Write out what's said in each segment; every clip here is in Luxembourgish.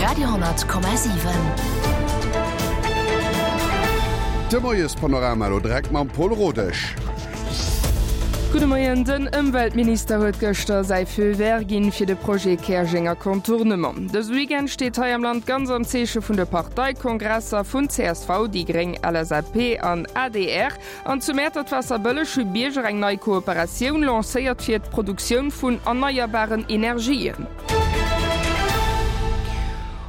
Radio,7. De Moiespanorama elo direkt mam Paul Rodesch. Gudde Moien, Den Ëmweltminister huet gëschter säi Feu vert ginn fir de Projet Käerjenger Contournement. Dëse Weekend steet hei am Land ganz am Zeeche vun de Parteikongresser vun csv, déi gréng, LSAP an adr. An zu Mäertert-Waasserbëlleg hu Bierger eng nei Kooperatioun lancéiert fir d'Produktioun vun erneierbaren Energien.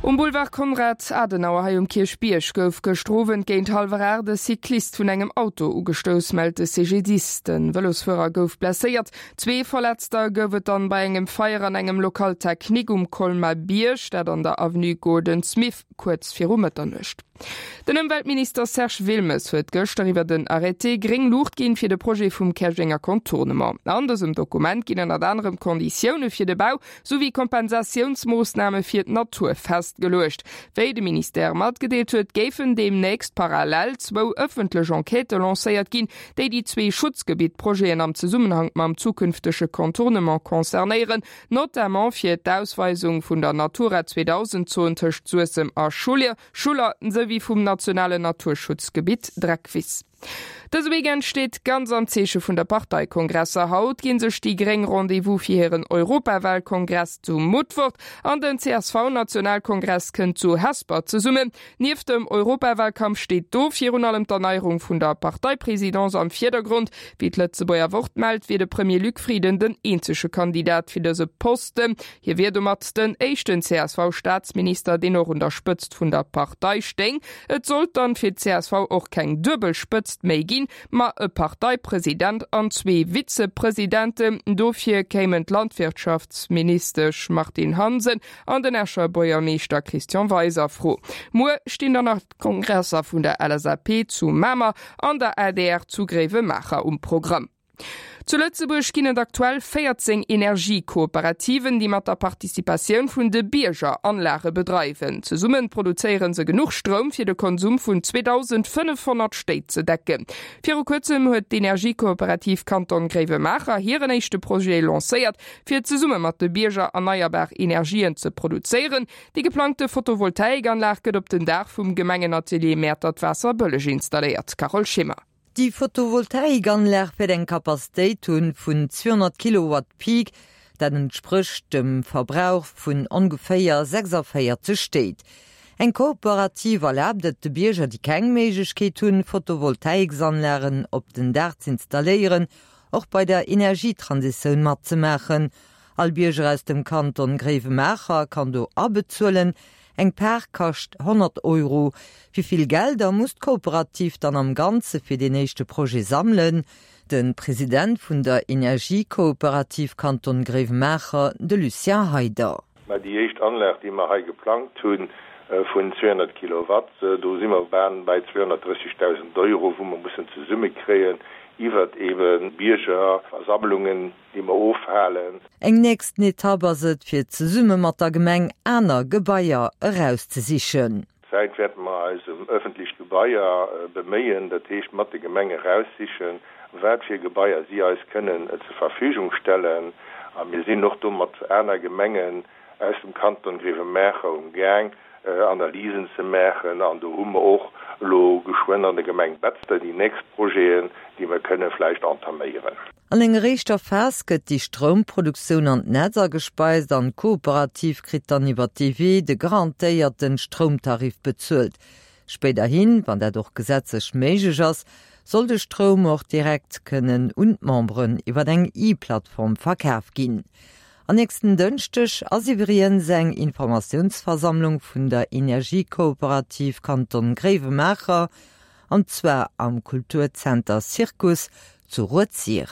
Um Boulevard Konrad Adenauer hei um Kierchbierg gouf gëschter Owend géint hallwer 8 e Cyclist vun engem Auto ugestouss, mellt de CGDIS. De Vëlosfuerer gouf blesséiert. Zwee Verletzter gouf et dann bei engem Feier an engem Local technique um Colmar-Bierg, dat an der Avenue Gordon Smith kuerz viru Mëtternuecht. Den Ëmweltminister Serge Wilmes huet gëschter iwwer en Arrêté gréng Luucht ginn fir de Projet vum Käerjenger Contournement. An dësem Dokument ginn ënnert anerem d'Konditioune fir de Bau souwéi Kompensatiounsmoossname fir d'Natur festgeluecht. Wéi de Ministère matgedeelt huet, géifen deemnächst parallel zwou ëffentlech Enquêtë lancéiert ginn, déi déi zwee Schutzgebitt-Projeten am Zesummenhank mam zukünftege Contournement concernéieren. Notamment fir d'Ausweisung vun der Natura 2000 Zon tëscht Suessem a Schuller, souwéi vum nationalen Naturschutzgebitt Dreckwiss. Dëse Weekend steet ganz am Zeeche vun der Parteikongresser. Haut ginn sech déi Gréng Rendez-vous fir hiren Europawalkongress zu Mutfert an den CSV-Nationalkongress kënnt zu Hesper zesummen. Nieft dem Europawalkampf steet do virun allem d'Erneierung vun der Parteipresidence am Virdergrond. Wéi d'Lëtzebuerger Wort mellt, wier de Premier Luc Frieden den eenzege Kandidat fir dëse Posten. Hie wier domat den éischten CSV-Staatsminister, deen och un der Spëtzt vun der Partei stéing. Et sollt dann fir d'CSV och keng duebel Spëtzt méi ginn, ma e Parteipresident an zwee Vizepresidenten. Dofir kéimen d'Landwirtschaftsministesch Martine Hansen an den Escher Buergermeeschter Christian Weis a Fro. Muer stinn dann nach d'Kongresser vun der LSAP zu Mamer an der adr zu Gréiwemaacher um Programm. Zu Lëtzebuerg ginn et aktuell 14 Energiekooperativen, déi mat der Participatioun vun de Bierger Anlage bedreiwen. Zesumme produzéiere se genuch Stroum, fir de Konsum vun 2.500 Stéit ze decken. Viru kuerzem huet d'Energiekooperativ Kanton Gréiwemaacher hiren éischte Projet lancéiert, fir zesumme mat de Bierger erneierbar Energien ze produzéieren. Déi geplangte Photovoltaikanlag gëtt op den Daach vum Gemengenatelier Mäertert-Waasserbëlleg installéiert. Carole Schimmer. Déi Photovoltaikanlag wäert eng Capacitéit hunn vun 200 Kilowatt Peak, dat entsprécht dem Verbrauch vun ongeféier 46 Stéit. Eng Kooperativ erlaabt et de Bierger, déi keng Méiglechkeet hunn, Photovoltaiksanlagen op den Daach z'installéieren, och bei der Energietransitioun matzemaachen. All Bierger aus dem Kanton Gréiwemaacher kann do abezuelen. Eng Par kascht 100 Euro. Wéi vill Gelder muss d'Kooperativ dann am Ganze fir deen éischte Projet sammelen? De President vun der Energiekooperativ Kanton Gréiwemaacher, de Lucien Heyder. Mä déi éischt Anlag, déi mer hei geplangt hu vun 200 Kilowatt, do si mer bal bei 230.000 Euro, wou mer mussen zesummekréien iwwert eebe Biergerversammlungen, déi mer ofhalen. Eng nächsten Etapp ass et, fir zesumme mat der Gemeng aner Gebaier erauszesichen. Zäit wäerte mer eis ëm öffentlech Gebaier beméien, dat heescht mat de Gemenge raussichen, wat fir Gebaier si eis kënnen zur Verfügung stellen. A mir sinn och do mat aner Gemengen aus dem Kanton Grevenmacher um Gaang, Analysen ze maachen. An do hu mer och elo geschwënn an der Gemeng Betzder déi nächst Projeten, déi mer kënne vläicht entaméieren. An enger éischter Phas gëtt déi Stroumproduktioun an d'Netz agespeist an d'Kooperativ kritt dann iwwer dee Wee de garantéierten Stroumtarif bezuelt. Spéiderhin, wann dat och gesetzlech méiglech ass, soll de Stroum och direkt kënnen un d'Memberen iwwer eng E-Plattform verkaf ginn. An nächsten Dënschdeg ass iwwriens eng Informatiounsversammlung vun der Energiekooperativ Kanton Gréiwemaacher, an zwar am Kulturzenter Circus zu Rued-Sir.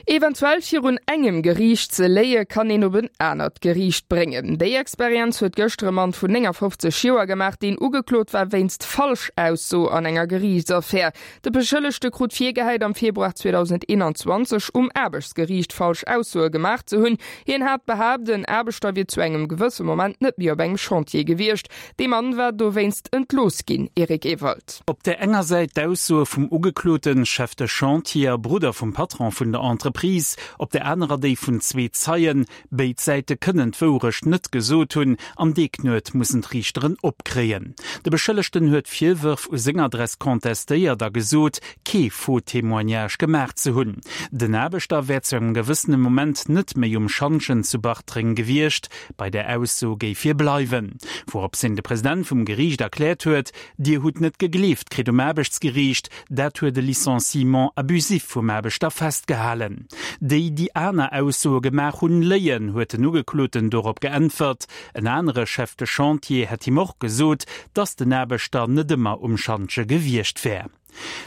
Eventuell virun engem Geriicht ze léie kann een op en anert Geriicht bréngen. Déi Experienz huet gëschter e Mann vun 59 Joer gemaach, deen ugeklot war wéinst Falschausso an enger Geriichtsaffär. De Beschëllegte krut virgehäit, am Februar 2021 um Aarbechtsgeriicht falsch Aussoe gemaach ze hunn. Hien hat behaapt, en Aarbechter wier zu engem gewësse Moment net méi op engem Chantier gewiescht. Dee Mann war dowéinst entlooss ginn, Eric Ewald. Op där enger Säit d'Aussoe vum Ugekloten, Chef de Chantier a Brudder vum Patron vun der Entreprise. Entreprise, op der anerer déi vun zwee Zeien. Béid Säite kënnen d'Wourecht net gesot hunn an dee Knuet mussen d'Riichteren opkréien. De Beschëllegten huet d'Virwërf u seng Adress contestéiert a gesot, kee Faux témoignage gemaach ze hunn. Den Aarbechter wär zu engem gewëssene Moment net méi um Schantjen zu Bartreng gewiescht. Bei där Ausso géif hie bleiwen. Wourops hien de President vum Geriicht erkläert huet, Dir hutt net gegleeft kritt um Aarbechtsgeriicht, dat huet e Licenciement abusif vum Aarbechter festgehalen. Déi, déi aner Aussoe gemaach hunn, léien, huet den Ugekloten dorop geäntwert. En anere Chef de Chantier hätt him och gesot, datt den Aarbechter net ëmmer um Schantje gewiescht wär.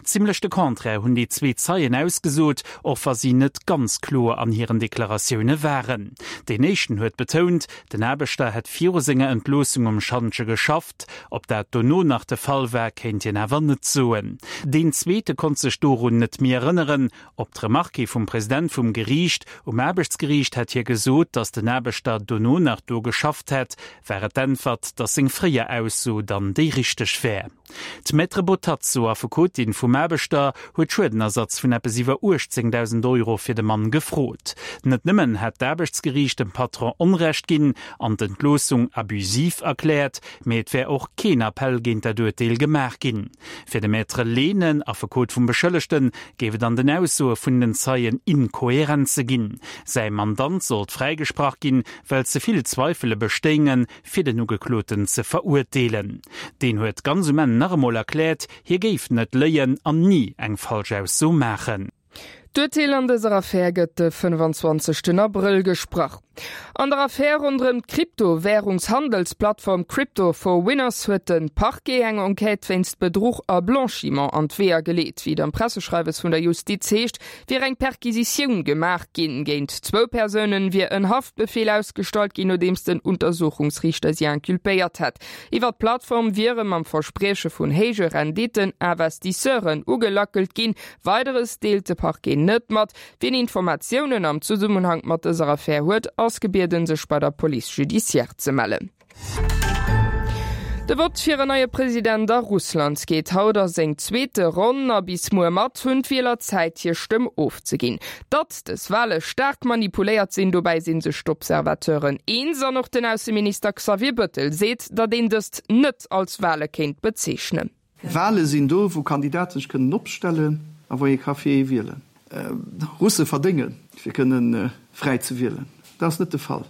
Zimmlech de Contraire hunn déi zwee Zeien ausgesot, och wa si net ganz kloer an hiren Deklaratioune waren. Deen éischten huet betount, den Aarbechter hätt viru senger Entloossung um Schantje geschafft. Ob dat dono nach de Fall war, kéint hien awer net soen. Deen zweete konnt sech dorun net méi erënneren. Op d'Remarque vum President vum Geriicht, um Aarbechtsgeriicht hätt hie gesot, datt den Aarbechter dono nach do geschafft hätt, war et d'Äntwert, datt seng fréier Ausso dann déi richteg wär. D'Maître Botazzo, Affekotin vum Aarbechter, huet Schuedenersatz vun eppes iwwer 18.000 Euro fir de Mann gefrot. Net nëmmen hätt d'Aarbechtsgeriicht dem Patron Onrecht ginn an d'Entloossung abusiv erkläert, mee et wär och keen Appell géint dat Urteel gemaach ginn. Fir de Maître Lehnen, Affekot vum Beschëllegten, géif et an den Aussoe vun den Zeien Inkohärenze ginn. Säi Mandant sollt fräigesprach ginn, well ze vill Zweifele bestéingen, fir den Ugekloten ze verurteelen. Deen huet ganz um Enn nach emol erkläert, hie géif net léien an ni eng Falschausso maachen. D'Urteel an dëser Affär gëtt de 25 Abrëll gesprach. An der Affär ronderëm d'Kryptowärungshandelsplattform Crypto for Winners huet de Parquet eng Enquête wéinst Bedruch a Blanchiment an d'Weeër geleet. Wéi et am Presseschreiwes vun der Justiz heescht, wier eng Perquisitioun gemaach ginn. Géint zwou Persounen wier en Haftbefeel ausgestallt ginn, nodeems den Untersuchungsriichter si inculpéiert hätt. Iwwer d'Plattform wiere mam Versprieche vun héije Renditten Investisseuren ugelackelt ginn. Weideres deelt de Parquet net mat. Wien Informatiounen am Zesummenhank mat dëser Affär huet, ass gebieden, sech bei der Police judiciaire ze mellen. De Vott fir en neie President a Russland geet haut a seng zweete Ronn a bis muer mat hunn d'Wieler Zäit hir Stëmm ofzeginn. Datt dës Wale staark manipuléiert sinn, dobäi si sech d'Observateuren eens an och den Ausseminister Xavier Bëttel seet, datt een dëst net als Wale kéint bezeechnen. Wale sinn do, wou Kandidaten sech kënnen opstellen a wou ee ka fir ee wielen. Russe verdéngen, fir kënne fräi ze wielen. Dat ass net de Fall.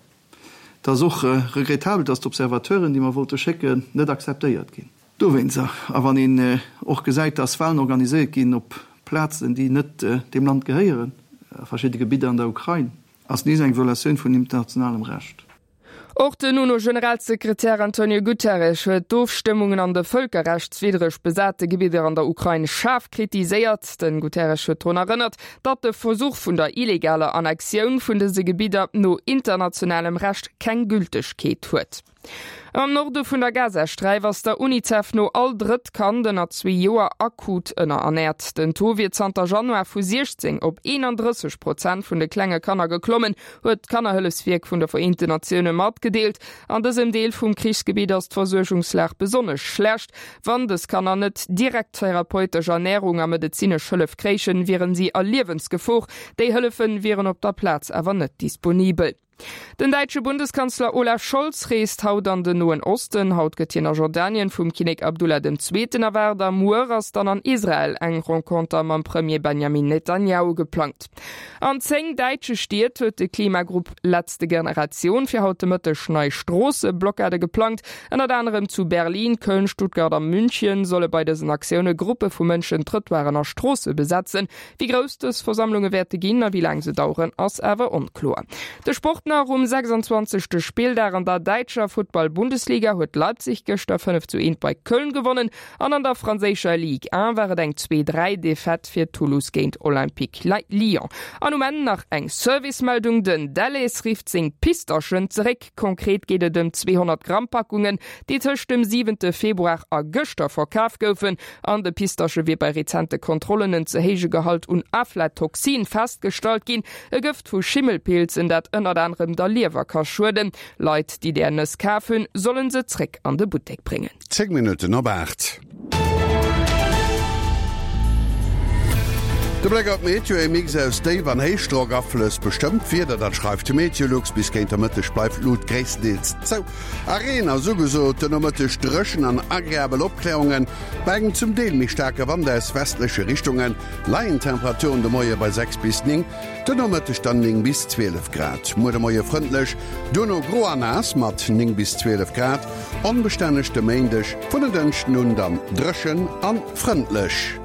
Et ass och regrettabel, dass d'Observateuren, déi mer wollte schécken, net akzeptéiert ginn. Dowéinst, a wann een och gesäit, dass Wahlen organiséiert ginn op Plazen, déi net deem Land gehéieren, a verschidde Gebidder an der Ukrain, ass nees eng Violatioun vun internationalem Recht. Och den UNO-Generalsekretär Antonio Guterres huet d'Ofstëmmungen an de vëlkerrechtswiddreg besate Gebidder an der Ukrain schaarf kritiséiert. Den Guterres huet drun erënnert, datt de Versuch vun der illegaler Annexioun vun dëse Gebidder no internationalem Recht keng Gültegkeet huet. Am Norde vun der Gazasträif ass der Unicef no all drëtt Kand ënner zwee Joer akut ënnerernäert. Den Taux wier zanter Januar vu 16 op 31 Prozent vun de klenge Kanner geklommen, huet d'Kannerhëllefswierk vun de Vereenten Natioune matgedeelt. An dësem Deel vum Krichsgebitt ass d'Versuergungslag besonnesch schlecht. Wann dës Kanner net direkt therapeutesch Ernärung a medezinesch Hëllef kréichen, wieren si a Liewensgefor. Déi Hëllefe wieren op der Plaz awer net disponibel. Den däitsche Bundeskanzler Olaf Scholz reest haut an den Noen Osten. Haut gëtt hien a Jordanien vum Kinnek Abdullah dem Zweeten erwaart a muer ass dann an Israel eng Renconter mam Premier Benjamin Netanjahu geplangt. An 10 däitsche Stied huet de Klimagrupp Letzte Generation fir haut de Mëtteg nei Stroosseblockade geplangt. Ënnert anerem zu Berlin, Köln, Stuttgart a München solle bei dësen Aktioune Gruppe vu Mënschen Trëttoiren a Stroosse besetzen. Wéi grouss dës Versammlunge wäerte ginn a wéi laang se daueren, ass awer onkloer. De Sport nach, Um 26. Spilldag an der däitscher Futtball-Bundesliga huet Leipzig gëschter 5 zu 1 bei Köln gewonnen. An an der franséischer Ligue 1 war et eng Zwee-Dräi Defaite fir Toulouse géint Olympique Lyon. An um Enn nach eng Servicemeldung, Den Delhaize rifft seng Pistaschen zeréck. Konkret geet et ëm 200 Gramm Packungen, déi tëscht dem siwente Februar a gëschter verkaf goufen. An de Pistasche wier bei rezente Kontrollen en ze héije Gehalt un Aflatoxin festgestallt ginn, e Gëft vu Schimmelpilzen, dat ënnert anerem der Liewer ka schueden. Leit, déi där Nëss kaf hunn, sollen se zréck an de Buttek bréngen. 10 Minutten op 8. De Bléck op d'Meteo, E Mix aus Déif an Héichdrockaflëss bestëmmt d'Wieder, dat schreift Meteolux. Bis géint der Mëtteg bleift d'Lut gréisstendeels zou a Reen ass ugesot. Den Nomëtteg dréchen an agreabel Opkläerungen bei engem zum Deel méi staarke Wand aus westleche Richtunge. Leien d'Temperaturen de Moie bei 6 bis 9, den Nomëtteg dann 9 bis 12 Grad. Muer de Moie frëndlech, duerno gro a naass mat 9 bis 12 Grad. Onbestänneg de Méindeg, vun en Dënschden un dann dréchen a frëndlech.